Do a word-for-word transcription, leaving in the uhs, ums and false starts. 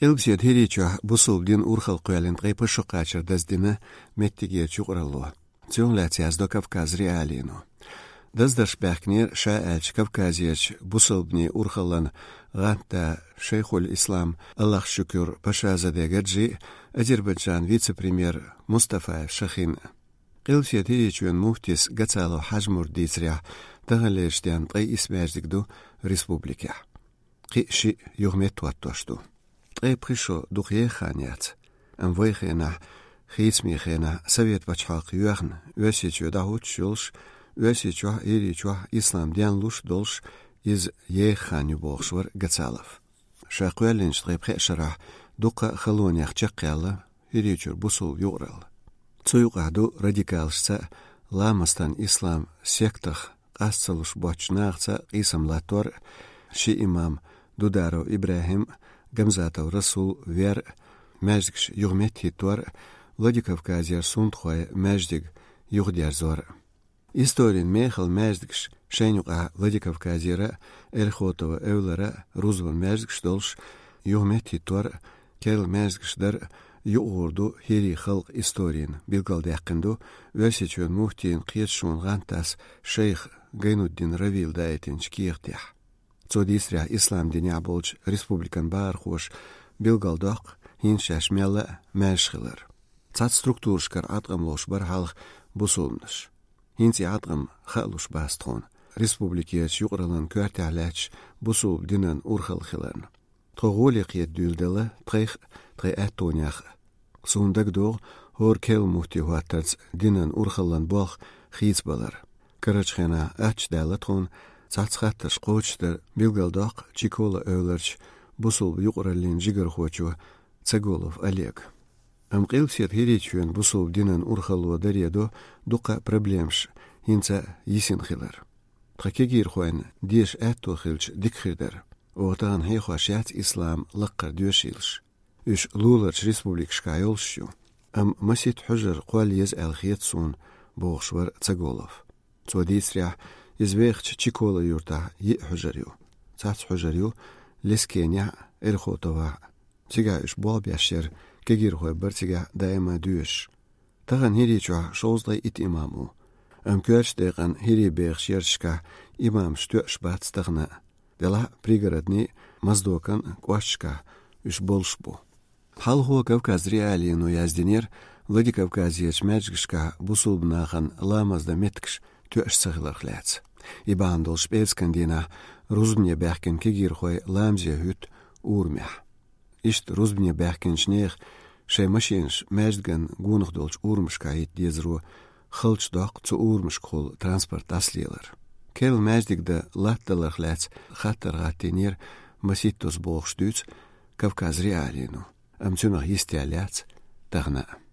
Къилбаседа ХӀирийчохь бусулба дин урхалла кхоьллина ткъе пхи шо кхачар даздина меттигерчу юкъаралло. Цунах лаьцна яздо Кавказ.Реалиино. Даздарш баьхкинера, ша аьлча, Кавказерчу бусулбанийн урхаллан гӀантда Шайхуль-Ислам Аллахшукур Пашазаде Гаджи а, Азербайджан вице-премьер Мустафаев Шахин а. Къилбаседа ХӀирийчоьнан муфтис Гацалов Хьажмурда дийцарехь, таханлерчу денна ткъе исс маьждиг ду республикехь. Кхин а шиъ юха меттахӀоттош ду. Ткъе пхи шо дукха еха хан яц. Амма вайн хенахь, хийцамийн хенахь, совет пачхьалкх йоьхна, Оьрсийчоь дӀахӀуттуш йолуш, Оьрсийчохь а, ХӀирийчохь а ислам денлуш а долуш, иза еха хан ю, бохуш вара Гацалов. Ша кхоьллинчу ткъе пхеа шарахь дуккха а халонех чекхъяьлла ХӀирийчуьра бусулба юкъаралла. Цу юкъахь ду радикалашца а, ламастан ислам сектах къаста ца луш боцчу нахаца а къийсам латтор а, ши имам Дударов ИбрахӀим а, Гамзатов Расул а вер а, маьждигаш юха меттахӀиттор а, Владикавказера сунтхойн маьждиг юхадерзор а. Историн мехала маьждигаш, шайна юкъахь Владикавказера а, Эрхотова эвлара а рузбан маьждигаш долуш, юха меттахӀиттор а, керла маьждигаш дар а юкъагӀур ду хӀирийн халкъан историна, билгалдаьккхина ду Оьрсийчоьнан муфтийн кхеташонан гӀантдас шайх Гайнуддин Равила даийтинчу кехатехь. Цо дийцарехь, ислам динехь болчу республикан бахархоша билгалдоккху хӀинца шаьш мелла а маьрша хилар. Цхьацца структурашкара Ӏаткъам ловш бара хьалха бусулбанаш. ХӀинца и Ӏаткъам хаа луш бац тхуна, республикерчу юкъараллин коьртехь лаьтташ бусулба динан урхалла хиларна. Тхо гӀоле кхета дуьйладелла тхайх а, тхайн аьттонех а. Суна дагадогӀу, хӀора керла муфти хӀоттарца динан урхаллан болх хийцабалар. Карарчу хенахь аттачу даьлла тхуна цхьацца хаттарш кхочушдар, билгалдоккху Чикола эвларчу бусулба юкъараллин жигархочо Цаголов Олега. Амма Къилбаседа ХӀирийчоьнан бусулба динан урхалло даре до дуккха а проблемаш хӀинца а йисина хилар. Тхан кегийрхойн деша аьтто хилча дика хир дара. Оха тахана хьехош яц ислам лаккхара доьшийлаш. Уьш луларчу республикашкахь йолуш ю. Амма масийтта хьуьжар кхолла еза аьлла хета суна, бохуш вара Цаголов. Цо дийцарехь, иза вехачу Чикола юьртахь йиъ хьуьжар ю. Цхьацца хьуьжар ю Лескенехь а, Эрхотовехь а. Цигахь уьш болх беш яра, кегийрхой бара цигахь даима доьшуш. Тахана ХӀирийчохь шовзткъе итт имам ву. Амма коьртачу декъана хӀирийн бехачу ярташкахь имамаш тоьаш бац тахана а. Делахь а пригородни, Моздокан кӀошташкахь уьш болуш бу. Хьалхо Кавказ.Реалиино яздинера, Владикавказерчу маьждигашкахь бусулба нахана ламаз дан меттигаш тоьаш ца хиларх лаьцна. И бахьана долуш пӀераскан дийнахь рузбане баьхкина кегийрхой ламазе хӀуьтту урамехь. Иштта рузбане баьхкинчу нехан шайн машинаш маьждиган гонах долчу урамашкахь хӀитта дезаро халчу доккху цу урамашкахула транспорт дӀасалелар. Керла маьждиг дан латтадаларх лаьцна хаттар гӀаттийнера маситтаза, бохуш дуьйцу Кавказ.Реалиино, амма цунах йистеяла яц тахана а.